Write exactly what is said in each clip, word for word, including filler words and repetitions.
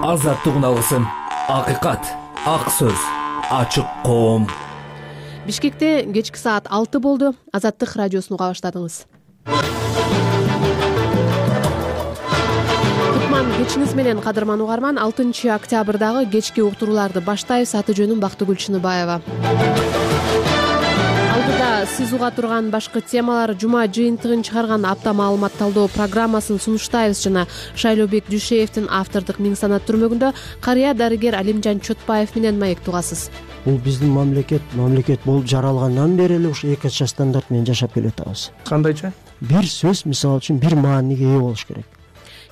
азаттык үналысын, акыйкат, ак сөз, ачык коом. Бишкекте кечки саат алты болду. Азаттык радиосун уга баштадыңыз. Кутман кечиңиз менен, кадырман угарман. алтынчы октябрдагы кечки уктурууларды баштайбыз. Аты жөнүм Бактыгүл Чыныбаева. Алдыда сиз уга турган башкы темалар: жума жыйынтыгын чыгарган апта маалымат талдоо программасын сунуштайбыз жана Шайлообек Дүйшеевдин автордук миң санат түрмөгүндө карыя дарыгер Алимжан Чотбаев менен маек угасыз. Бул биздин мамлекет мамлекет болуп жаралгандан бери эле ушу эки ача стандарт менен жашап келатабыз. Кандайча? Бир сөз мисалы үчүн бир мааниге ээ болуш керек.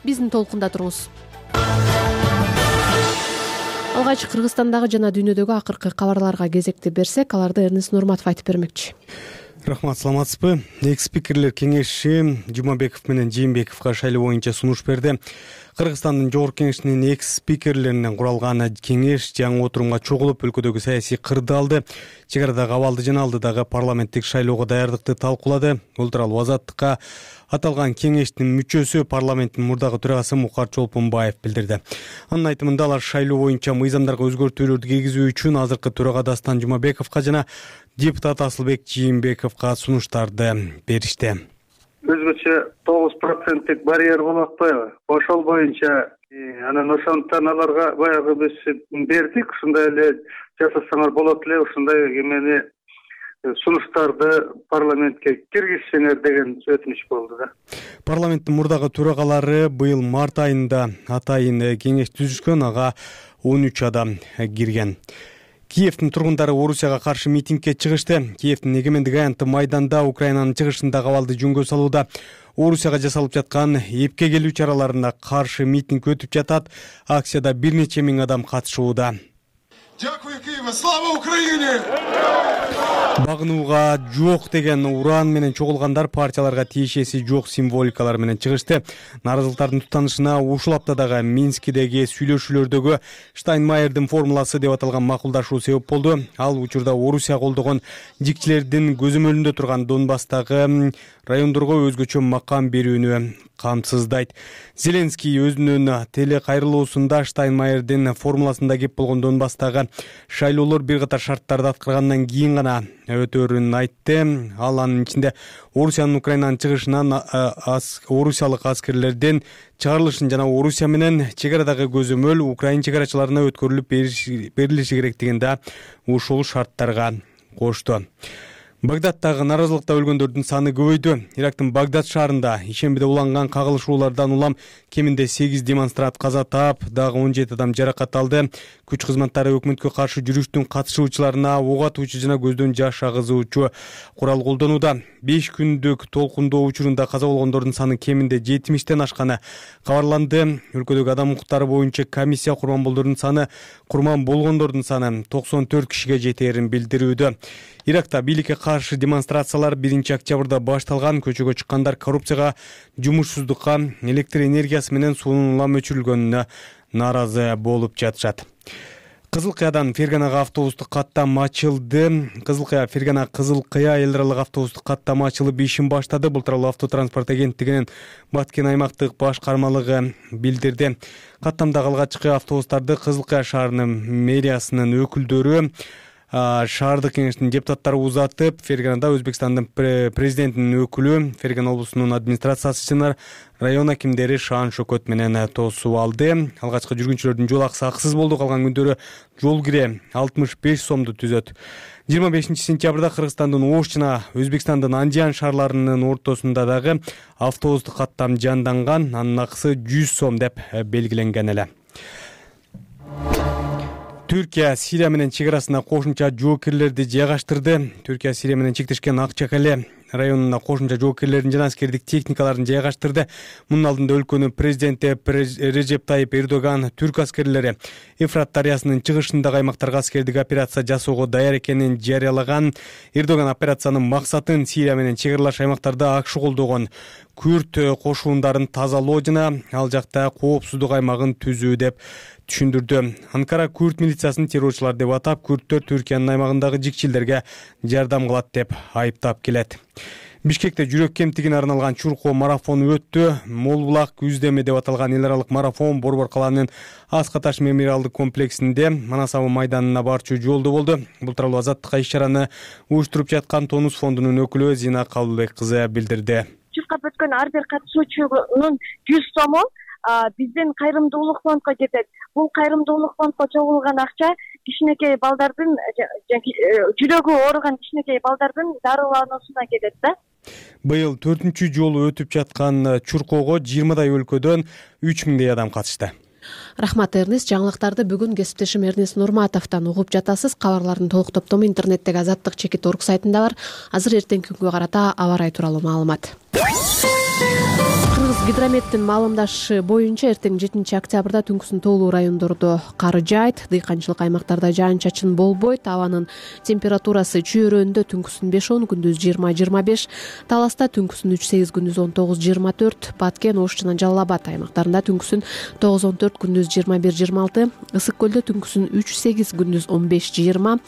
Биздин толкунда туруңуз. Алгач Кыргызстандагы жана дүйнөдөгү акыркы кабарларга кезекти берсек, аларды Эрнест Нурматов айтып бермекчи. Рахмат, саламатсызбы? Эки спикерлер кеңеши Жумабеков менен Жээнбековго шайлоо боюнча сунуш берди. Кыргызстандын жогорку кеңешинин экс спикерлеринен куралган кеңеш жаңы отурумга чогулуп өлкөдөгү саясий кырды алды, чек арадагы абалды жана алдыдагы парламенттик шайлоого даярдыкты талкуулады. Бул тууралуу Азаттыкка аталган кеңештин мүчөсү, парламенттин мурдагы төрагасы Мукар Чолпонбаев билдирди. Анын айтымында алар шайлоо боюнча мыйзамдарга өзгөртүүлөрдү киргизүү үчүн азыркы төрага Дастан Жумабековго жана депутат Асылбек Жээнбековго сунуштарды беришти. Өзгөчө тогуз проценттик барьер болуп атпайбы? Ошол боюнча анан ошондон аларга баягы биз бердик, ушундай эле жасасаңар болот эле, ушундай эмени сунуштарды парламентке киргизсеңер деген өтүнүч болду да. Парламенттин мурдагы төрагалары быйыл март айында атайын кеңеш түзүшкөн, ага он үч адам кирген. Киевдин тургундары Орусияга каршы митингге чыгышты. Киевдин эгемендик аянты Майданда Украинанын чыгышындагы абалды жөнгө салууда. Орусияга жасалып жаткан эпке келүү чараларына каршы митинг өтүп жатат. Акцияда бир нече миң адам катышууда. Дякую, Киева! Слава Украине! Багынууга жок деген уран менен чогулгандар партияларга тиешеси жок символикалар менен чыгышты. Наразылыктардын туттанышына ушул аптадагы Минскидеги сүйлөшүүлөрдөгү Штайнмайердин формуласы деп аталган макулдашуу себеп болду. Ал учурда Орусия колдогон жикчилердин көзөмөлүндө турган Донбасстагы райондорго өзгөчө макам берүүнү камсыздайт. Зеленский өзүнүн теле кайрылуусунда Штайнмайердин формуласында кеп болгон Донбасстагы шайлоолор бир катар шарттарды аткаргандан кийин гана өтөөрүн айтты. Ал анын ичинде Орусиянын Украинанын чыгышынан орусиялык аскерлердин чыгарылышын жана Орусия менен чек арадагы көзөмөл Украин чек арачыларына өткөрүлүп берилиши керектигинде ушул шарттарга кошту. Багдадтагы наразылыкта өлгөндөрдүн саны көбөйдү. Ирактын Багдад шаарында ишембиде уланган кагылышуулардан улам кеминде сегиз демонстрант каза таап, дагы он жети адам жаракат алды. Күч кызматтары өкмөткө каршы жүрүштүн катышуучуларына ок атуучу жана көздөн жаш агызуучу курал колдонууда. беш күндүк толкундоо учурунда каза болгондордун саны кеминде жетимиштен ашканы кабарланды. Өлкөдөгү адам укуктары боюнча комиссия курман болдордун саны курман болгондордун саны токсон төрт кишиге жетээрин билдирүүдө. Иракта бийликке каршы демонстрациялар биринчи октябрда башталган. Көчөгө чыккандар коррупцияга, жумушсуздукка, электр энергиясы менен суунун улам өчүрүлгөнүнө нааразы болуп жатышат. Кызыл Кыядан Ферганага автобустук каттам ачылды. Кызыл Кыя Фергана Кызыл Кыя эл аралык автобустук каттам ачылып ишин баштады. Бул тууралуу автотранспорт агенттигинин Баткен аймактык башкармалыгы билдирди. Каттамдагы алгачкы автобустарды Кызыл Кыя шаарынын мэриясынын өкүлдөрү, шаардык кеңештин депутаттары узатып, Ферганада Өзбекстандын президентинин өкүлү, Фергана облусунун администрациясы жана район акимдери Шаан Шөкөт менен тосуп алды. Алгачкы жүргүнчүлөрдүн жол акысы акысыз болду. Калган күндөрү жол кире алтымыш беш сомду түзөт. жыйырма бешинчи сентябрда Кыргызстандын Ош жана Өзбекстандын Андиян шаарларынын ортосунда дагы автобустук каттам жанданган. Анын акысы жүз сом деп белгиленген эле. Түркия Сирия менен чек арасына кошумча жоокерлерди жайгаштырды. Түркия Сирия менен чектешкен Акчакале районуна кошумча жоокерлердин жана аскердик техникаларын жайгаштырды. Мунун алдында өлкөнүн президенти Режеп Тайип Эрдоган түрк аскерлери Эфрат дарыясынын чыгышындагы аймактарга аскердик операция жасоого даяр экенин жарыялаган. Эрдоган операциянын максатын Сирия менен чек аралаш аймактарда акшы колдогон күрд кошуундарын тазалоо жана ал жакта коопсуздук аймагын түзүү деп түшүндүрдү. Анкара күрд милициясын террорчулар деп атап, күрдтөр Түркиянын аймагындагы жикчилдерге жардам кылат деп айыптап келет. Бишкекте жүрөк кемтигине арналган чуркоо марафону өттү. Мол булак үздеме деп аталган эл аралык марафон Борбор калаанын Аска таш мемориалдык комплексинде Манасабы майданына барчу жолдо болду. Бул тууралуу Азаттыкка иш-чараны уюштуруп жаткан Тонус фондунун өкүлү Зина Кабылбек кызы билдирди. Чуркап өткөн ар бир катышуучунун жүз сому биздин кайрымдуулук фондко кетет. Бул кайрымдуулук фондко чогулган акча кичинекей балдардын жүрөгү ооруган кичинекей балдардын дарылануусуна кетет да. Быйыл төртүнчү жолу өтүп жаткан чуркоого жыйырмадай өлкөдөн үч миңдей адам катышты. Рахмат, Эрнест. Жаңылыктарды бүгүн кесиптешим Эрнест Нурматовдон угуп жатасыз. Кабарлардын толук топтому интернеттеги азаттык чекит точка орг сайтында бар. Азыр эртеңки күнгө карата аба ырайы тууралуу маалымат. Кыргыз гидрометтин маалымдашы боюнча эртең жетинчи октябрда түнкүсүн тоолуу райондордо кар жаайт, дыйканчылык аймактарда жаан-чачын болбойт, абанын температурасы чөйрөндө түнкүсүн беш он, күндүз жыйырма жыйырма беш, Таласта түнкүсүн үч сегиз, күндүз он тогуз жыйырма төрт, Баткен, Ош жана Жалал Абад аймактарында түнкүсүн тогуз он төрт, күндүз жыйырма бир жыйырма алты, Ысык көлдө түнкүсүн үч сегиз, күндүз он беш жыйырма,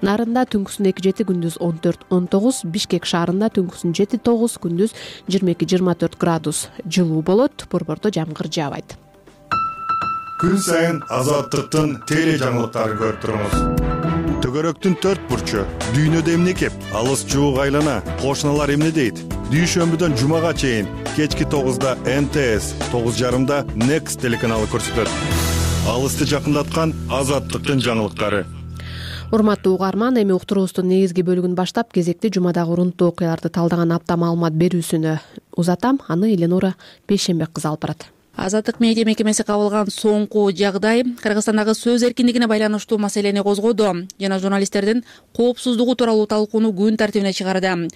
Нарында түнкүсүн эки жети, күндүз он төрт он тогуз, Бишкек шаарында түнкүсүн жети тогуз, күндүз жыйырма эки жыйырма төрт градус жылуу болот. Борбордо жамгыр жаабайт. Күн сайын Азаттыктын теле жаңылыктарын көрүп туруңуз. Төгөрөктүн төрт бурчу, дүйнөдө эмне кеп, алыс жуук айлана, кошуналар эмне дейт? Дүйшөмбүдөн жумага чейин кечки тогузда эн тэ эс, тогуз жарымда Next телеканалы көрсөтөт. Алысты жакындаткан Азаттыктын жаңылыктары. Урматтуу угарман, эми уктуруубуздун негизги бөлүгүн баштап кезекти жумадагы урунттуу окуяларды талдаган апта маалымат берүүсүнө узатам. Аны Эленора Бейшенбек кызы алып барат. Азаттык медиа мекемеси кабыл алган соңку жагдай Кыргызстандагы сөз эркиндигине байланыштуу маселени козгоду жана журналисттердин коопсуздугу тууралуу талкууну күн тартибине чыгарды.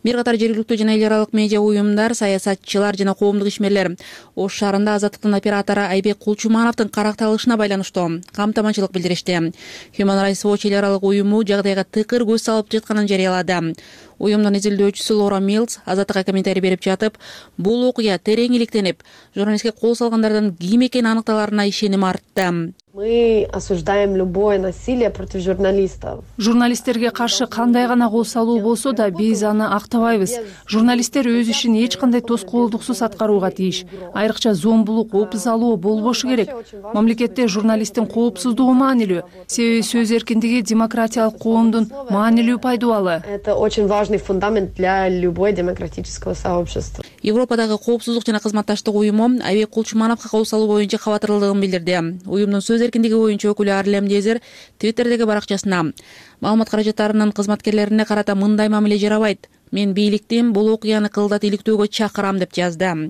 Бир катар жергиликтүү жана эл аралык медиа уюмдар, саясатчылар жана коомдук ишмерлер Ош шаарында Азаттыктын оператору Айбек Кулчумановдун каракталышына байланыштуу камтаманчылык билдиришти. Human Rights Watch эл аралык уюму жагдайга тыкыр көз салып жатканын жарыялады. Уюмдун изилдөөчүсү Лора Милс Азаттыкка комментарий берип жатып, бул окуя терең иликтенип, журналистке кол салгандардан ким экени аныкталарына ишеним артты. Мы осуждаем любое насилие против журналистов. Журналисттерге каршы кандай гана кол салуу болсо да биз аны актабайбыз. Журналисттер өз ишин эч кандай тоскоолдуксуз аткарууга тийиш. Айрыкча зомбулук, опуз алуу болбошу керек. Мамлекетте журналисттин коопсуздугу маанилүү. Себеби сөз эркиндиги демократиялык коомдун маанилүү пайдубалы. Это очень важный фундамент для любой демократического сообщества. Европадагы коопсуздук жана кызматташтык уюму Айбек Кулчумановго кол салуу боюнча кабатырдыгын билдирди. Уюмдун сөз эркиндиги боюнча өкүлү Арлем Дезер Твиттердеги баракчасына маалымат каражаттарынын кызматкерлерине карата мындай мамиле жарабайт. Мен бийликтин бул окуяны кылдат иликтөөгө чакырам деп жазды.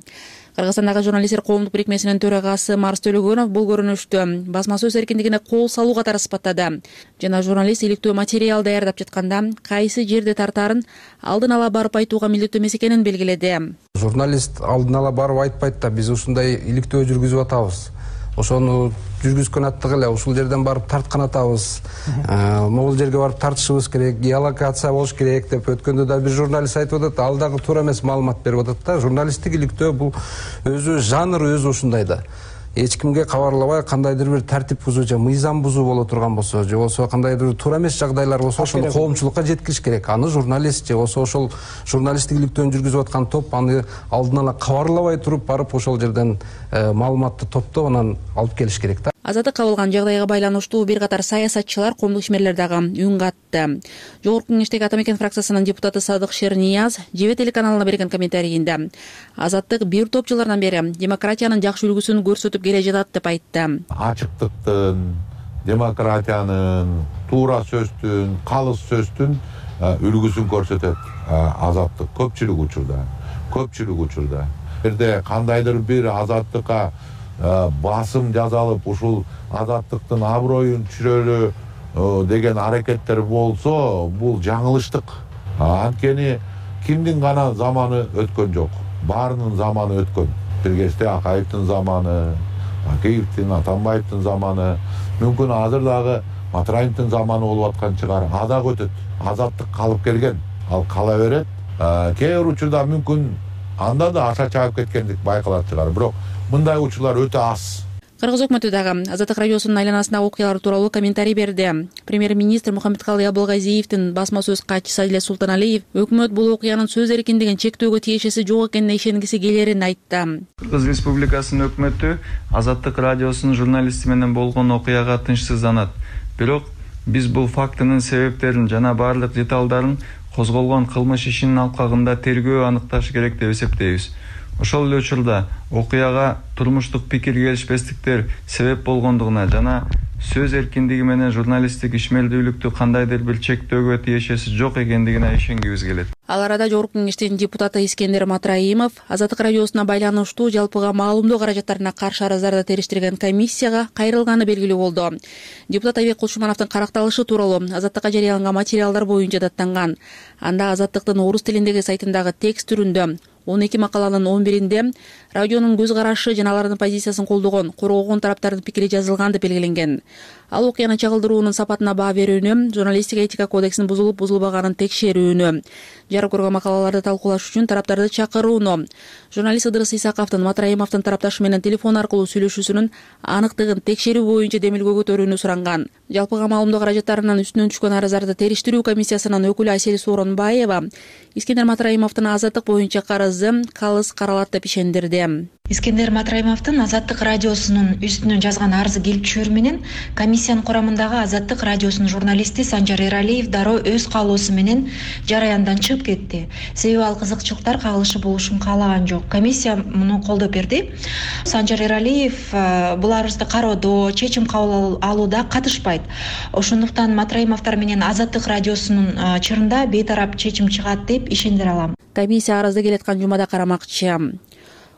Кыргызстандагы журналисттер коомдук бирикмесинин төрагасы Марс Төлөгөнов бул көрүнүштү басма сөз эркиндигине кол салуу катары сыпаттады жана журналист иликтөө материал даярдап жатканда кайсы жерде тартаарын алдын ала барып айтууга милдеттүү эмес экенин белгиледи. Журналист алдын ала барып айтпайт да, биз ушундай иликтөө жүргүзүп атабыз. Ошону жүргүзгөн аттык эле ушул жерден барып тарткан атабыз. Могул жерге барып тартышыбыз керек, геолокация болуш керек деп өткөндө да бир журналист айтып атат, ал дагы туура эмес маалымат берип атат да. Журналисттик иликтөө бул өзү жанр өзү ушундай да. Эч кимге кабарлабай кандайдыр бир тартип бузуу же мыйзам бузуу боло турган болсо, же болсо кандайдыр бир туура эмес жагдайлар болсо, ошону коомчулукка жеткириш керек. Аны журналист же болсо ошол журналисттик иликтөөнү жүргүзүп аткан топ аны алдын ала кабарлабай туруп барып ошол жерден маалыматты топтоп анан алып келиш керек да. Азаттык кабылган жагдайга байланыштуу бир катар саясатчылар, коомдук ишмерлер дагы үн катты. Жогорку кеңештеги Ата Мекен фракциясынын депутаты Садык Шернияз Жебе телеканалына берген комментарийинде Азаттык бир топ жылдардан бери демократиянын жакшы үлгүсүн көрсөтүп келе жатат деп айтты. Ачыктыктын, демократиянын, туура сөздүн, калыс сөздүн үлгүсүн көрсөтөт Азаттык көпчүлүк учурда. Көпчүлүк учурда. Бирде кандайдыр бир Азаттыкка басым жазалып, ушул Азаттыктын аброюн түшүрөлү деген аракеттер болсо, бул жаңылыштык. Анткени кимдин гана заманы өткөн жок. Баарынын заманы өткөн. Бир кезде Акаевдин заманы, Акеевдин, Атамбаевдин заманы, мүмкүн азыр дагы Матраевдин заманы болуп аткан чыгар. Адак өтөт. Азаттык калып келген, ал кала берет. Кээ бир учурда мүмкүн анда да аша чаап кеткендик байкалат чыгар. Бирок мындай учурлар өтө аз. Кыргыз өкмөтү дагы Азаттык радиосунун айланасындагы окуялар тууралуу комментарий берди. Премьер-министр Мухаммедкалый Абылгазиевдин басма сөз катчысы Адилет Султаналиев өкмөт бул окуянын сөз эркиндигин чектөөгө тиешеси жок экенине ишенгиси келерин айтты. Кыргыз Республикасынын өкмөтү Азаттык радиосунун журналисти менен болгон окуяга тынчсызданат. Бирок биз бул фактынын себептерин жана баардык деталдарын козголгон кылмыш ишинин алкагында тергөө аныкташы керек деп эсептейбиз. Ошол эле учурда окуяга турмуштук пикир келишпестиктер себеп болгондугуна жана сөз эркиндиги менен журналисттик ишмердүүлүктү кандайдыр бир чектөөгө тиешеси жок экендигине ишенгибиз келет. Ал арада Жогорку Кеңештин депутаты Искендер Матраимов Азаттык радиосуна байланыштуу жалпыга маалымдоо каражаттарына каршы арыздарды териштирген комиссияга кайрылганы белгилүү болду. Депутат Айбек Кулчумановдун каракталышы тууралуу Азаттыкка жарыяланган материалдар боюнча даттанган. Анда Азаттыктын орус тилиндеги сайтындагы текст түрүндө он эки макаланын он биринде радионун көз карашы жана алардын позициясын колдогон, коргогон тараптардын пикири жазылган деп белгиленген. Ал окуяны чагылдыруунун сапатына баа берүүнү, журналистика этика кодексинин бузулуп бузулбаганын текшерүүнү, жарык көргөн макалаларды талкуулаш үчүн тараптарды чакырууну, журналист Ыдырыс Исаковдун Матраимовдун тарапташы менен телефон аркылуу сүйлөшүүсүнүн аныктыгын текшерүү боюнча демилгөө көтөрүүнү суранган. Жалпыга маалымдоо каражаттарынын үстүнөн түшкөн арыздарды териштирүү комиссиясынын өкүлү Асель Сооронбаева Искендер Матраимовдун азаттык боюнча карызы калыс каралат деп ишендирди. Искендер Матраимовдун Азаттык радиосунун үстүнөн жазган арызы келип түшөр менен комиссиянын курамындагы Азаттык радиосунун журналисти Санжар Эралиев дароо өз каалоосу менен жараяндан чыгып кетти. Себеби ал кызыкчылыктар кагылышы болушун каалаган жок. Комиссия муну колдоп берди. Санжар Эралиев бул арызды кароодо, чечим кабыл алууда катышпайт. Ошондуктан Матраимовдор менен Азаттык радиосунун чырында бейтарап чечим чыгат деп ишендире алам. Комиссия арызды келаткан жумада карамакчы.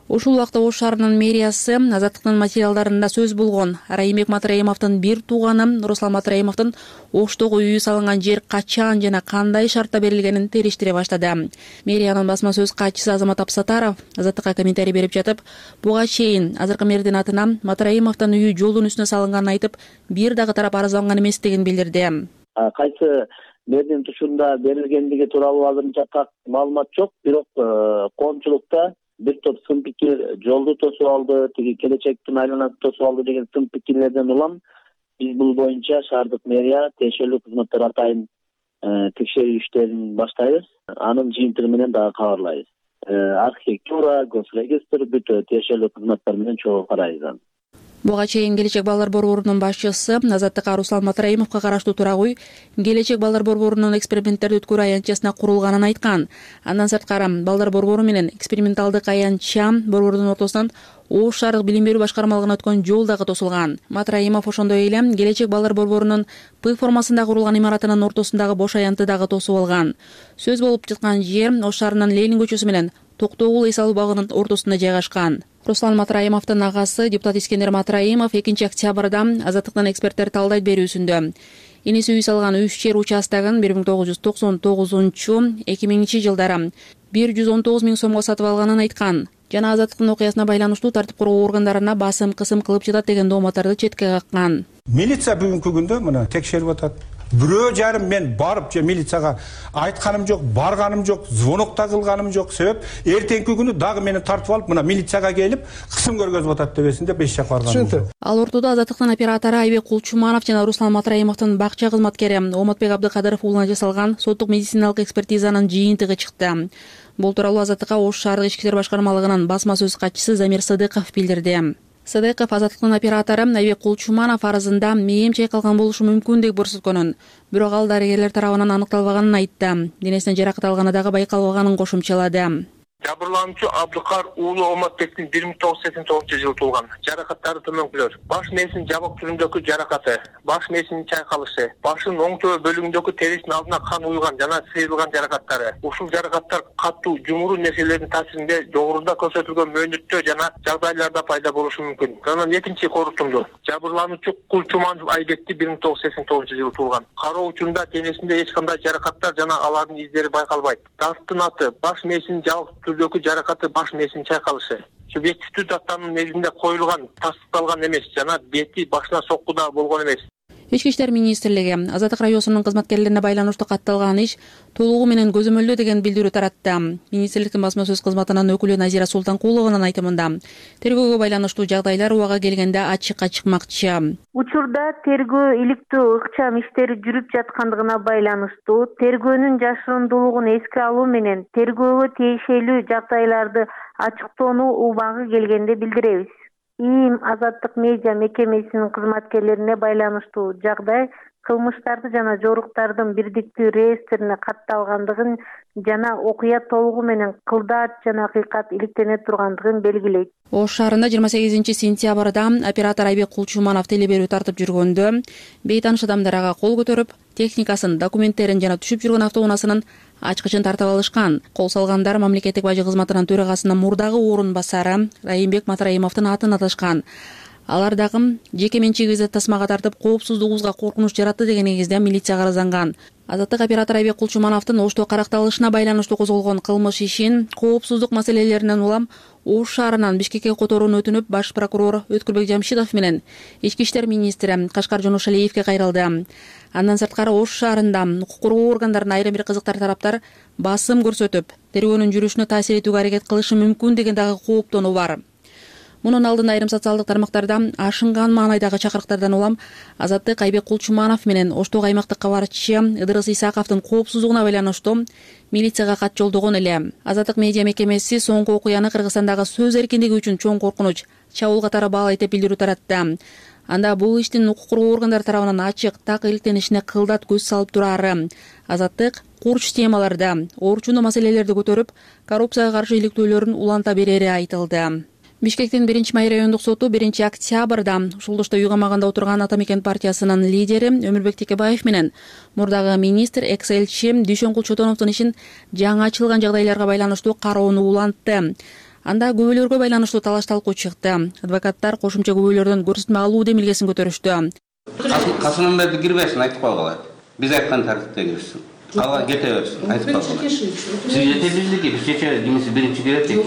Ушул убакта Ош шаарынын мэриясы Азаттыктын материалдарында сөз болгон Райымбек Матраимовдун бир тууганы Руслан Матраимовдун Оштогу үйү салынган жер качан жана кандай шартта берилгенин териштире баштады. Мэриянын басма сөз катчысы Азамат Апсатаров Азаттыкка комментарий берип жатып, буга чейин азыркы мэрдин атынан Матраимовдун үйү жолдун үстүнө салынганын айтып, бир дагы тарап арызданган эместигин билдирди. Кайсы мэрдин тушунда берилгендиги тууралуу азырынча так маалымат жок, бирок коомчулукта бир топ сын пикир жолду тосуп алды, тиги келечектин айланасын тосуп алды деген сын пикирлерден улам биз бул боюнча шаардык мэрия тиешелүү кызматтар атайын текшерүү иштерин баштайбыз. Анын жыйынтыгы менен дагы кабарлайбыз. Архитектура, госрегистр бүт тиешелүү кызматтар менен чогуу карайбыз. Буга чейин Келечек балдар борборунун башчысы Азаттыкка Руслан Матраимовго караштуу турак үй Келечек балдар борборунун эксперименттерди өткөрүү аянтчасына курулганын айткан. Андан сырткары балдар борбору менен эксперименталдык аянтча борбордун ортосунан Ош шаардык билим берүү башкармалыгына өткөн жол дагы тосулган. Матраимов ошондой эле Келечек балдар борборунун П формасында курулган имаратынын ортосундагы бош аянтты дагы тосуп алган. Сөз болуп жаткан жер Ош шаарынын Ленин көчөсү менен Токтогул эс алуу багынын ортосунда жайгашкан. Руслан Матраимовдун агасы депутат Искендер Матраимов экинчи октябрда Азаттыктын эксперттер талдайт берүүсүндө энеси үй салган үч жер участогун бир миң тогуз жүз токсон тогузунчу эки миңинчи жылдары бир жүз он тогуз миң сомго сатып алганын айткан жана Азаттыктын окуясына байланыштуу тартип коргоо органдарына басым кысым кылып жатат деген дооматтарды четке каккан. Милиция бүгүнкү күндө мына текшерип атат. Бирөө жарым мен барып же милицияга айтканым жок, барганым жок, звонок да кылганым жок. Себеп эртеңки күнү дагы мени тартып алып, мына милицияга келип, кысым көргөзүп атат дебесин деп эч жакка барганым жок. Ал ортодо Азаттыктын оператору Айбек Кулчуманов жана Руслан Матраимовдун бакча кызматкери Оматбек Абдыкадыров уулуна жасалган соттук медициналык экспертизанын жыйынтыгы чыкты. Бул тууралуу Азаттыкка Ош шаардык ички иштер башкармалыгынын басма сөз катчысы Замир Сыдыков билдирди. Сыдыков Азаттыктын оператору Айбек Кулчуманов арызында мээм чайкалган болушу мүмкүн деп көрсөткөнүн, бирок ал дарыгерлер тарабынан аныкталбаганын айтты. Денесинен жаракат алганы дагы байкалбаганын кошумчалады. Жабырлануучу Абдыкар уулу Оматбектин бир миң тогуз жүз сексен тогузунчу жылы туулган. Жаракаттары төмөнкүлөр: баш мээсинин жабык түрүндөгү жаракаты, баш мээсинин чайкалышы, башынын оң төбө бөлүгүндөгү терисинин алдына кан уйган жана сыйрылган жаракаттары. Ушул жаракаттар катуу, жумуруу нерселердин таасиринде жогоруда көрсөтүлгөн мөөнөттө жана жагдайларда пайда болушу мүмкүн. Анан экинчи корутунду. Жабырлануучу Кулчуманов Айбекти бир миң тогуз жүз сексен тогузунчу жылы туулган. Кароо учурунда денесинде эч кандай жаракаттар жана алардын издери байкалбайт. Дасттын аты: баш мээсинин жабык түрдөгү жаракаты, баш мээсинин чайкалышы. Субъективдүү даттанын негизинде коюлган, тастыкталган эмес жана бети башына соккуда болгон эмес. Ички иштер министрлиги Азаттык радиосунун кызматкерлерине байланыштуу катталган иш толугу менен көзөмөлдөө деген билдирүү таратты. Министрликтин басма сөз кызматынын өкүлү Назира Султанкулованын айтымында тергөөгө байланыштуу жагдайлар убага келгенде ачыкка чыкмакчы. Учурда тергөө иликтөө ыкчам иштери жүрүп жаткандыгына байланыштуу тергөөнүн жашырундуулугун эске алуу менен тергөөгө тиешелүү жагдайларды ачыктоону убагы келгенде билдиребиз. ИИМ Азаттык медиа мекемесинин кызматкерлерине байланыштуу жагдай кылмыштарды жана жоруктардын бирдиктүү реестрине катталгандыгын жана окуя толугу менен кылдаат жана акыйкат иликтене тургандыгын белгилейт. Ош шаарында жыйырма сегизинчи сентябрда оператор Айбек Кулчуманов телеберүү тартып жүргөндө бейтааныш адамдар ага кол көтөрүп, техникасын, документтерин жана түшүп жүргөн автоунаасынын ачкычын тартып алышкан. Кол салгандар мамлекеттик бажы кызматынын төрагасынын мурдагы орун басары Райымбек Матраимовдун атын аташкан. Алар дагы жеке менчигибизди тасмага тартып, коопсуздугубузга коркунуч жаратты деген негизде милицияга арызанган. Азаттык оператор Айбек Кулчумановдун Ошто каракталышына байланыштуу козголгон кылмыш ишин коопсуздук маселелеринен улам Ош шаарынан Бишкекке которууну өтүнүп, баш прокурор Өткүлбек Жамшитов менен ички иштер министри Кашкар Жоношалиевге кайрылды. Андан сырткары Ош шаарында укук коргоо органдарынын айрым бир кызыктар тараптар басым көрсөтүп, тергөөнүн жүрүшүнө таасир этүүгө аракет кылышы мүмкүн деген дагы кооптонуу бар. Мунун алдында айрым социалдык тармактарда ашынган маанайдагы чакырыктардан улам Азаттык Айбек Кулчуманов менен Оштогу аймактык кабарчы Ыдырыс Исаковдун коопсуздугуна байланыштуу милицияга кат жолдогон эле. Азаттык медиа мекемеси соңку окуяны Кыргызстандагы сөз эркиндиги үчүн чоң коркунуч, чабуул катары баалайт деп билдирүү таратты. Анда бул иштин укук коргоо органдары тарабынан ачык, так иликтенишине кылдат көз салып турары. Азаттык курч темаларда орчундуу маселелерди көтөрүп, коррупцияга каршы иликтөөлөрүн уланта берери айтылды. Бишкектин биринчи май райондук соту биринчи октябрда ушулдошто үй камагында отурган Ата Мекен партиясынын лидери Өмүрбек Текебаев менен мурдагы министр экс-элчи Дүйшөнкул Чотоновдун ишин жаңы ачылган жагдайларга байланыштуу кароону улантты. Анда күбөлөргө байланыштуу талаш талкуу чыкты. Адвокаттар кошумча күбөлөрдөн көрсөтмө алуу демилгесин көтөрүштү. Касымберди кирбесин айтып койгула. Биз айткан тартипте кирсин. Кала кете берсин, айтып койгула. Сиз жетелүүлүгү биз чечебиз, кимиси биринчи кирет экен.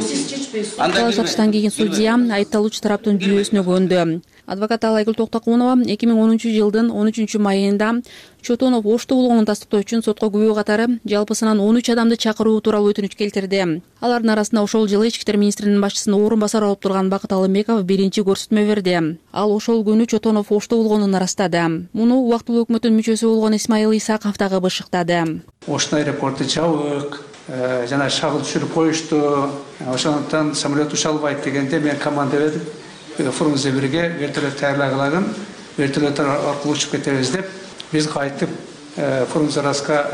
Талаш тартыштан кийин судья айыпталуучу тараптын жүйөсүнө көндү. Адвокат Айгүл Токтокунова эки миң онунчу жылдын он үчүнчү майында Чотонов Оштуулугун тастыктоо үчүн сотко күбө катары жалпысынан он үч адамды чакыруу тууралуу өтүнүч келтирди. Алардын арасында ошол жылы ички иштер министринин башчысынын орун басары болуп турган Бакыт Алымбеков биринчи көрсөтмө берди. Ал ошол күнү Чотонов Оштуулугун ырастады. Муну убактылуу өкмөттүн мүчөсү болгон Исмайыл Исаков дагы бышыктады. Ошто аэропорту жабык, жана шагыл түшүрүп коюшту. Ошондуктан самолет уча албайт дегенде мен команда бердим. Фурумузда бирге вертолет даярлагылагын, вертолеттер аркылуу учуп кетебиз деп, биз кайтып Фурумзараска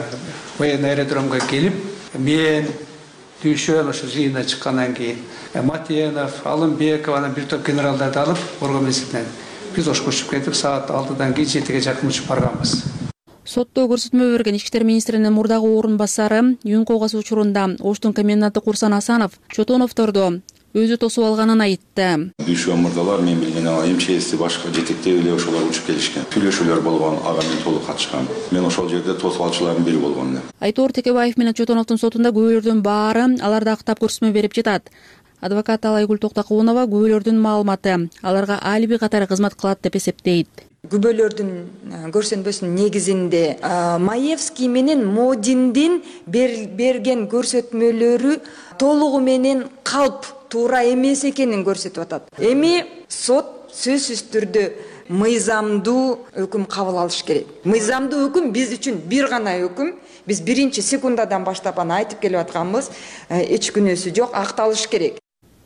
военный аэродромго келип, мен Дүйшөн ошо жыйындан чыккандан кийин Матенов, Алымбеков, анан бир топ генералдарды алып, Орго мезгилинен биз Ошко учуп кетип, саат алтыдан кийин жетиге жакын учуп барганбыз. Сотто көрсөтмө берген ички иштер министринин мурдагы орун басары Юнко окуясы учурунда Оштун коменданты Курсан Асанов Чотоновдорду өзү тосуп алганын айтты. Дүйшөн мырдалар мен билген МЧСти башка жетектеп эле ошолор учуп келишкен. Сүйлөшүүлөр болгон, ага мен толук катышкан. Мен ошол жерде тосуп алчылардын бири болгон элем. Айтор Текебаев менен Чотоновдун сотунда күбөлөрдүн баары аларды актап көрсөтмө берип жатат. Адвокат Айгүл Токтокунова күбөлөрдүн маалыматы аларга алиби катары кызмат кылат деп эсептейт. Күбөлөрдүн көрсөтмөсүнүн негизинде Маевский менен Модиндин берген көрсөтмөлөрү толугу менен калп туура эмес экенин көрсөтүп атат. Эми сот сөзсүз түрдө мыйзамдуу өкүм кабыл алыш керек. Мыйзамдуу өкүм биз үчүн бир гана өкүм. Биз биринчи секундадан баштап аны айтып келип атканбыз. Эч күнөөсү жок, акталыш керек.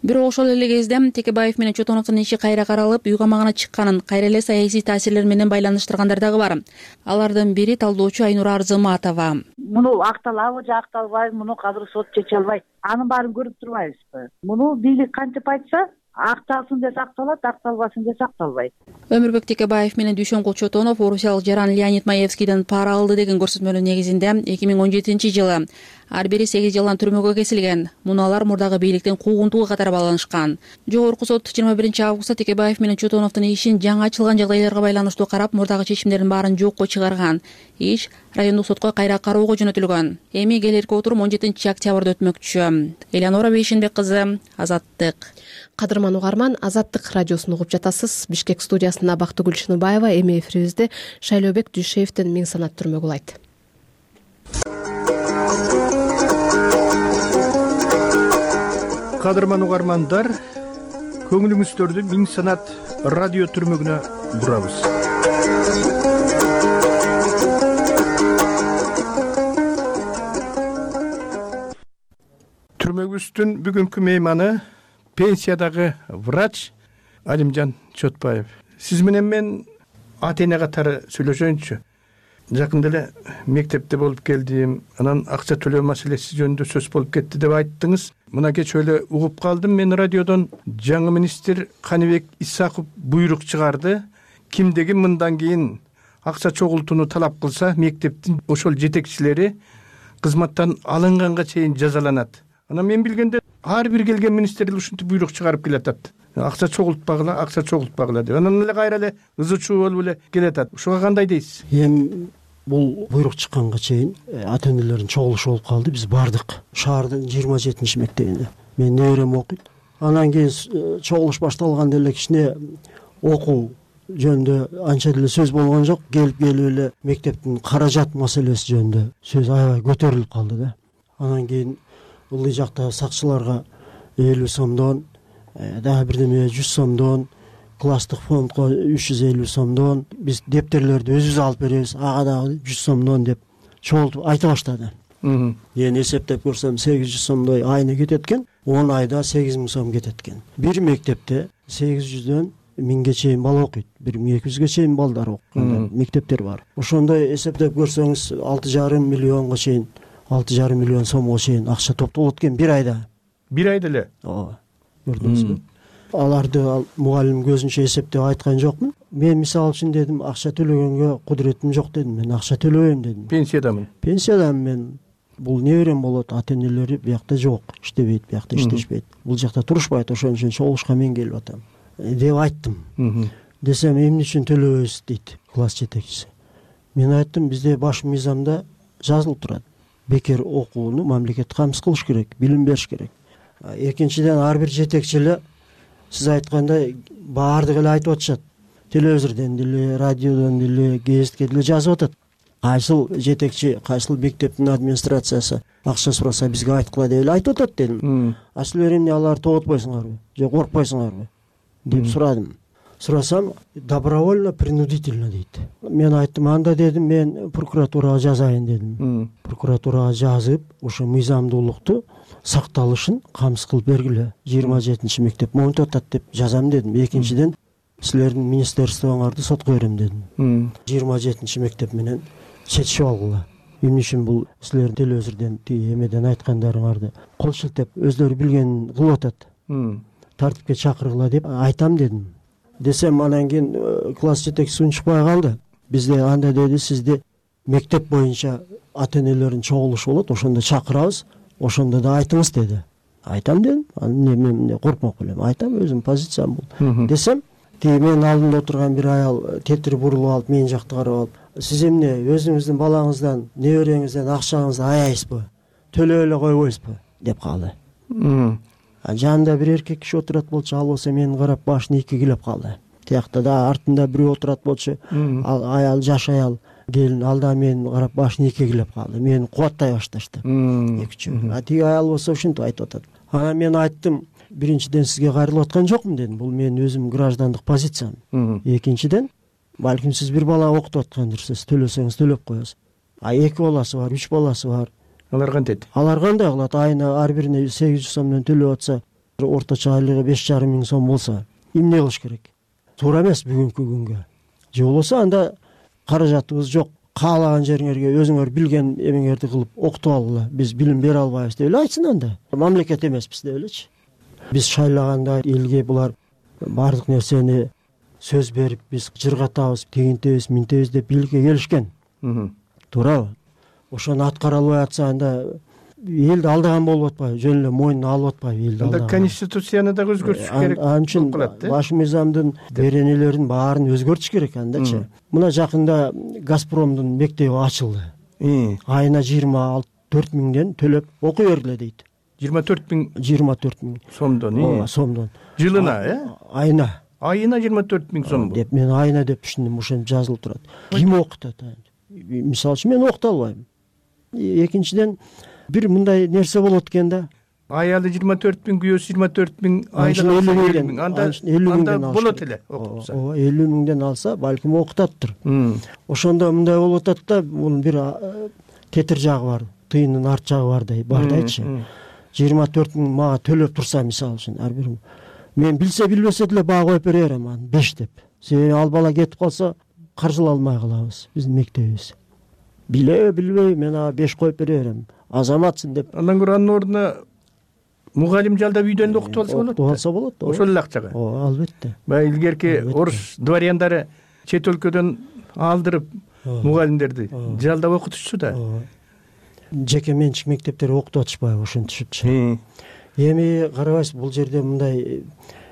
Бирок ошол эле кезде Текебаев менен Чотоновдун иши кайра каралып, үй камагына чыкканын, кайра эле саясий таасирлер менен байланыштыргандар дагы бар. Алардын бири талдоочу Айнура Арзыматова. Муну акталабы же акталбайбы, муну азыр сот чече албайт. Анын баарын көрүп турбайбызбы? Муну бийлик кантип айтса, акталсын десе акталат, акталбасын десе акталбайт. Өмүрбек Текебаев менен Дүйшөнкул Чотонов орусиялык жаран Леонид Маевскийден пара алды деген көрсөтмөнүн негизинде эки миң он жетинчи жылы ар бири сегиз жылдан түрмөгө кесилген. Муну алар мурдагы бийликтин куугунтугу катары байланышкан. Жогорку сот жыйырма биринчи августта Текебаев менен Чотоновдун ишин жаңы ачылган жагдайларга байланыштуу карап, мурдагы чечимдердин баарын жокко чыгарган. Иш райондук сотко кайра кароого жөнөтүлгөн. Эми келерки отурум он жетинчи октябрда өтмөкчү. Элеонора Бейшенбек кызы, Азаттык. Кадырман угарман, Азаттык радиосун угуп жатасыз. Бишкек студиясында Бактыгүл Шыныбаева, эми эфирибизде Шайлообек Дүйшеевдин Миң санат түрмөгү улайт. Кадырман угармандар, көңүлүңүздөрдү Миң санат радио түрмөгүнө бурабыз. Түрмөгүбүздүн бүгүнкү мейманы пенсиядагы врач Алимжан Чотпаев. Сиз менен мен ата эне катары сүйлөшөйүнчү. Жакында эле мектепте болуп келдим, анан акча төлөө маселеси жөнүндө сөз болуп кетти деп айттыңыз. Мына кечээ эле угуп калдым мен радиодон, жаңы министр Каныбек Исаков буйрук чыгарды. Кимдеги мындан кийин акча чогултууну талап кылса, мектептин ошол жетекчилери кызматтан алынганга чейин жазаланат. Анан мен билгенде ар бир келген министрлер ушинтип буйрук чыгарып келатат. Акча чогултпагыла, акча чогултпагыла деп. Анан эле кайра эле ызы чуу болуп эле келатат. Ушуга кандай дейсиз? Эми бул буйрук чыкканга чейин ата энелердин чогулушу болуп калды. Биз бардык шаардын жыйырма жетинчи мектебине. Мен неберем окуйт. Анан кийин чогулуш башталганда эле кичине окуу жөнүндө анча деле сөз болгон жок. Келип келип эле мектептин каражат маселеси жөнүндө сөз аябай көтөрүлүп калды да. Анан кийин ылдый жакта сакчыларга элүү сомдон, дагы бирдеме жүз сомдон, класстык фондко үч жүз элүү сомдон, биз дептерлерди өзүбүз алып беребиз, ага дагы жүз сомдон деп чогултуп айта баштады. Эми эсептеп көрсөм сегиз жүз сомдой айына кетет экен, он айда сегиз миң сом кетет экен. Бир мектепте сегиз жүздөн миңге чейин бала окуйт, бир миң эки жүзгө чейин балдар окуган мектептер бар. Ошондой эсептеп көрсөңүз алты жарым миллионго чейин, алты жарым миллион сомго чейин акча топтолот экен бир айда. Бир айда эле? Ооба. Көрдүңүзбү? Аларды мугалим көзүнчө эсептеп айткан жокмун. Мен мисалы үчүн дедим, акча төлөгөнгө кудуретим жок дедим. Мен акча төлөбөйм дедим. Пенсиядамын. Пенсиядамын мен. Бул неберем болот, ата энелери биякта жок, иштебейт, биякта иштешпейт. Бул жакта турушпайт, ошон үчүн чогулушка мен келип атам деп айттым. Десем, эмне үчүн төлөбөйсүз дейт класс жетекчиси. Мен айттым, бизде баш мыйзамда жазылып турат. Бекер окууну мамлекет камсыз кылыш керек, билим бериш керек. Экинчиден ар бир жетекчи эле сиз айткандай баардыгы эле айтып атышат. Телевизордон деле, радиодон деле, гезитке деле жазып атат. Кайсыл жетекчи, кайсыл мектептин администрациясы акча сураса бизге айткыла деп эле айтып атат дедим. А силер эмне аларды тоготпойсуңарбы же коркпойсуңарбы деп сурадым. Сурасам добровольно принудительно дейт. Мен айттым, анда дедим, мен прокуратурага жазайын дедим. Прокуратурага жазып, ошо мыйзамдуулукту сакталышын камсыз кылып бергиле. жыйырма жетинчи мектеп монтип атат деп жазам дедим. Экинчиден силердин министерствоңарды сотко берем дедим. жыйырма жетинчи мектеп менен чечишип алгыла. Эмне үчүн бул силер телевизордон тиги эмеден айткандарыңарды кол шилтеп өздөрү билгенин кылып атат. Тартипке чакыргыла деп айтам дедим. Десем, анан кийин класс жетекчиси унчукпай калды. Бизде анда деди, сизди мектеп боюнча ата энелердин чогулушу болот, ошондо чакырабыз, ошондо да айтыңыз деди. Айтам дедим. Анан эмне коркмок элем, айтам, өзүм позициям бул. Десем, тиги менин алдымда отурган бир аял тетири бурулуп алып, менин жакты карап алып, сиз эмне өзүңүздүн балаңыздан, небереңизден акчаңызды аяйсызбы? Төлөп эле койбойсузбу? деп калды. Жанында бир эркек киши отурат болчу, ал болсо мени карап башын ийкегилеп калды. Тиякта да артында бирөө отурат болчу, аял, жаш аял, келин, ал да мени карап башын ийкегилеп калды. Мени кубаттай башташты. Эки үчөө. А тиги аял болсо ушинтип айтып атат. Анан мен айттым, биринчиден сизге кайрылып аткан жокмун дедим. Бул менин өзүм граждандык позициям. Экинчиден, балким сиз бир бала окутуп аткандырсыз, төлөсөңүз төлөп коесуз. А эки баласы бар, үч баласы бар. Алар кантет? Алар кандай кылат? Айына ар бирине сегиз жүз сомдон төлөп атса, орточо айлыгы беш жарым миң сом болсо, эмне кылыш керек? Туура эмес бүгүнкү күнгө. Же болбосо анда каражатыбыз жок, каалаган жериңерге өзүңөр билген эмеңерди кылып окутуп алгыла. Биз билим бере албайбыз деп эле айтсын анда. Мамлекет эмеспиз деп элечи. Биз шайлаганда элге булар баардык нерсени сөз берип, биз жыргатабыз, тигинтебиз, минтебиз деп бийликке келишкен. Туурабы? Ошону аткара албай атса, анда элди алдаган болуп атпайбы, жөн эле мойнуна алып атпайбы элди алдаган. Анда конституцияны дагы өзгөртүш керек. Ал үчүн баш мыйзамдын беренелерин баарын өзгөртүш керек андачы. Мына жакында Газпромдун мектеби ачылды. Айына жыйырма төрт миңден төлөп окуй бергиле дейт. жыйырма төрт миң жыйырма төрт миң сомдон. Ооба, сомдон. Жылына, э? Айына. Айына жыйырма төрт миң сом. Деп мен айына деп түшүндүм, ошентип жазылып турат. Ким окутат? Мисалы үчүн мен окута албайм. Экинчиден бир мындай нерсе болот экен да. Аялы жыйырма төрт миң, күйөөсү жыйырма төрт миң, айда элүү миң. Анда анда болот эле окутса. Ооба, элүү миңден алса, балким окутаттыр. Ошондо мындай болуп атат да, бул бир тетир жагы бар, тыйындын арт жагы бардай, бардайчы. жыйырма төрт миң мага төлөп турса, мисалы үчүн, ар бир мен билсе билбесе деле баа коюп бере берем аны беш деп. Себеби ал бала кетип калса, каржылай алмай калабыз биздин мектебибиз. Биле билбей мен ага беш коюп бере берем. Азаматсың деп. Андан көрө анын ордуна мугалим жалдап үйдөн да окутуп алса болот. Окутуп алса болот. Ошол эле акчага. Ооба, албетте. Баягы илгерки орус дворяндары чет өлкөдөн алдырып мугалимдерди жалдап окутушчу да. Жеке менчик мектептер окутуп атышпайбы ошентишипчи. Эми карабайсыз, бул жерде мындай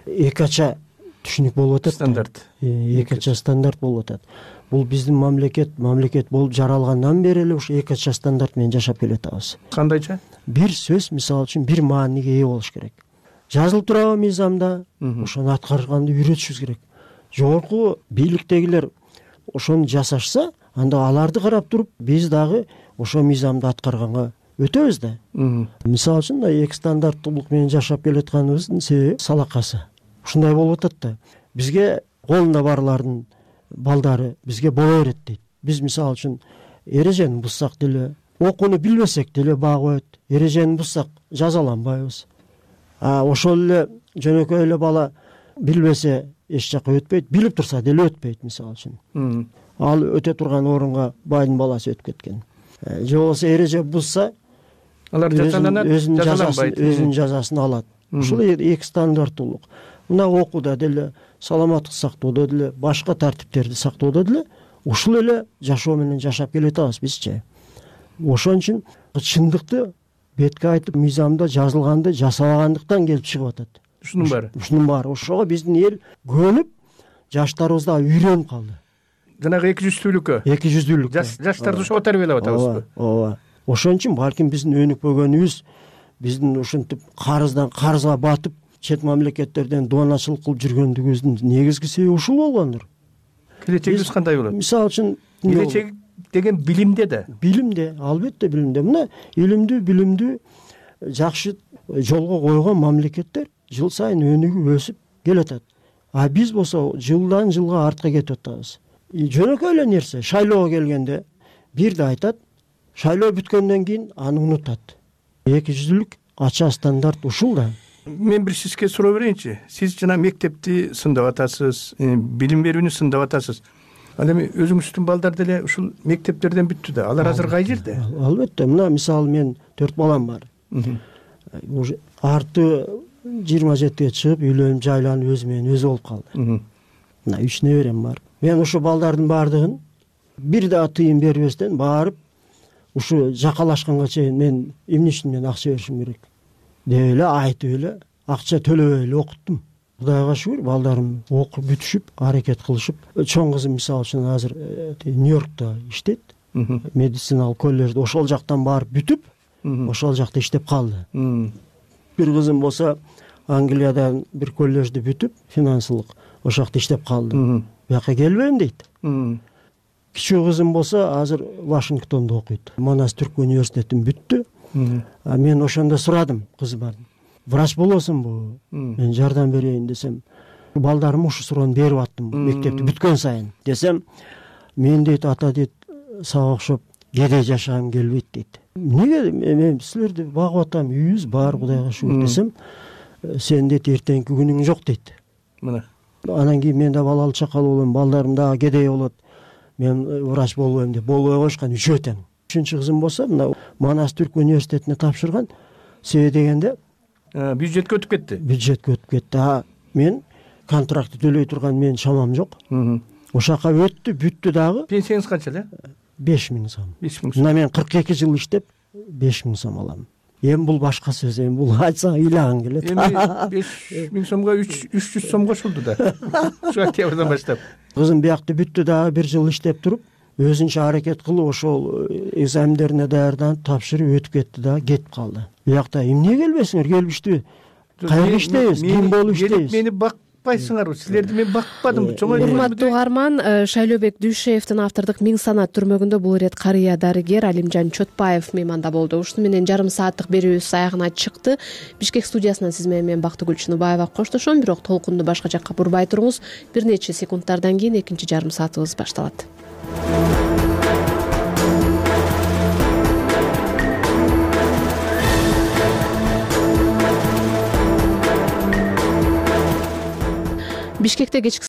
эки ача түшүнүк болуп атат. Стандарт. Эки ача стандарт болуп атат. Бул биздин мамлекет, мамлекет болуп жаралгандан бери эле ушу эки ача стандарт менен жашап келатабыз. Кандайча? Бир сөз, мисалы үчүн, бир мааниге ээ болуш керек. Жазылып турабы мыйзамда, ошону аткарганды үйрөтүшүбүз керек. Жогорку бийликтегилер ошону жасашса, анда аларды карап туруп, биз дагы ошо мыйзамды аткарганга өтөбүз да. Мисалы үчүн, эки стандарттуулук менен жашап келатканыбыздын себеби салакасы. Ушундай болуп атат да. Бизге колунда барлардын балдары бизге боло берет дейт. Биз мисалы үчүн эрежени бузсак деле, окууну билбесек деле баа коет. Эрежени бузсак жазаланбайбыз. А ошол эле жөнөкөй эле бала билбесе эч жака өтпөйт, билип турса деле өтпөйт, мисалы үчүн. Ал өтө турган орунга байдын баласы өтүп кеткен. Же болбосо эреже бузса, алар жазаланат, жазаланбайт, өзүнүн жазасын алат. Ушул эки стандарттуулук. Мына окууда деле, саламаттык сактоодо деле, башка тартиптерди сактоодо деле ушул эле жашоо менен жашап келатабыз бизчи. Ошон үчүн чындыкты бетке айтып, мыйзамда жазылганды жасабагандыктан келип чыгып атат. Ушунун баары. Ушунун баары. Ошого биздин эл көнүп, жаштарыбыз да үйрөнүп калды. Жанагы эки жүздүүлүккө. эки жүздүүлүк. Жаштарды ошого тарбиялап атабызбы? Ооба. Ошон үчүн балким биздин өнүкпөгөнүбүз, биздин ушинтип карыздан карызга батып, чет мамлекеттерден дооначылык кылып жүргөндүгүбүздүн негизги себеби ушул болгондур. Келечегибиз кандай болот? Мисалы үчүн, келечек деген билимде да. Билимде, албетте билимде. Мына илимдүү, билимдүү, жакшы жолго койгон мамлекеттер жыл сайын өнүгүп өсүп келатат. А биз болсо жылдан жылга артка кетип атабыз. Жөнөкөй эле нерсе, шайлоого келгенде бирди айтат, шайлоо бүткөндөн кийин аны унутат. Эки жүздүүлүк ача стандарт ушул да. Мен бир сизге суроо берейинчи. Сиз жана мектепти сындап атасыз, билим берүүнү сындап атасыз. Ал эми өзүңүздүн балдар деле ушул мектептерден бүттү да. Алар азыр кай жерде? Албетте, мына мисалы мен төрт балам бар. Уже арты жыйырма жетиге чыгып, үйлөнүп, жайланып, өзү менен өзү болуп калды. Мына үч неберем бар. Мен ушу балдардын баардыгын бир да тыйын бербестен барып, ушу жакалашканга чейин мен эмне үчүн мен акча беришим керек деп эле айтып эле, акча төлөбөй эле окуттум. Кудайга шүгүр, балдарым окуп бүтүшүп, аракет кылышып. Чоң кызым мисалы үчүн азыр Нью-Йоркто иштейт. Медициналык коллежде ошол жактан барып бүтүп, ошол жакта иштеп калды. Бир кызым болсо Англиядан бир коллежди бүтүп, финансылык, ошол жакта иштеп калды. Бияка келбейм дейт. Кичүү кызым болсо азыр Вашингтондо окуйт. Манас Түрк университетин бүттү. А мен ошондо сурадым кызымдан. Врач болосуңбу? Мен жардам берейин десем, балдарыма ушу суроону берип аттым мектепти бүткөн сайын. Десем, мен дейт, ата дейт, сага окшоп кедей жашагым келбейт дейт. Эмнеге? Мен силерди багып атам, үйүбүз бар, Кудайга шүгүр десем, сен дейт эртеңки күнүң жок дейт. Мына. Анан кийин мен да балалы чакалуу болом, балдарым дагы кедей болот. Мен врач болбойм деп болбой койушкан үчөө тең. Үчүнчү кызым болсо мына Манас Түрк университетине тапшырган. Себеби дегенде бюджетке өтүп кетти. Бюджетке өтүп кетти. А мен контрактты төлөй турган менин шамам жок. Ошол жака өттү, бүттү дагы. Пенсияңыз канча эле? беш миң сом. беш миң сом. Мына мен кырк эки жыл иштеп беш миң сом алам. эми бул башка сөз, эми бул айтсаң ыйлагың келет. Эми беш миң сомго үч жүз сом кошулду да ушу октябрдан баштап. Кызым биякта бүттү дагы бир жыл иштеп туруп, өзүнчө аракет кылып ошол экзамендерине даярданып тапшырып өтүп кетти да кетип калды. Биякта эмне келбесиңер, келиштиби? Кайерге иштейбиз, ким болуп иштейбиз? Мени бакпайсыңарбы? Силерди мен бакпадым. Урматтуу угарман, Шайлообек Дүйшеевдин автордук Миң санат түрмөгүндө бул ирет карыя дарыгер Алимжан Чотпаев мейманда болду. Ушуну менен жарым сааттык берүүбүз аягына чыкты. Бишкек студиясынан сиз менен мен Бактыгүл Чыныбаева коштошом, бирок толкунду башка жакка бурбай туруңуз. Бир нече секундтардан кийин экинчи жарым саатыбыз башталат. Бишкекте кечки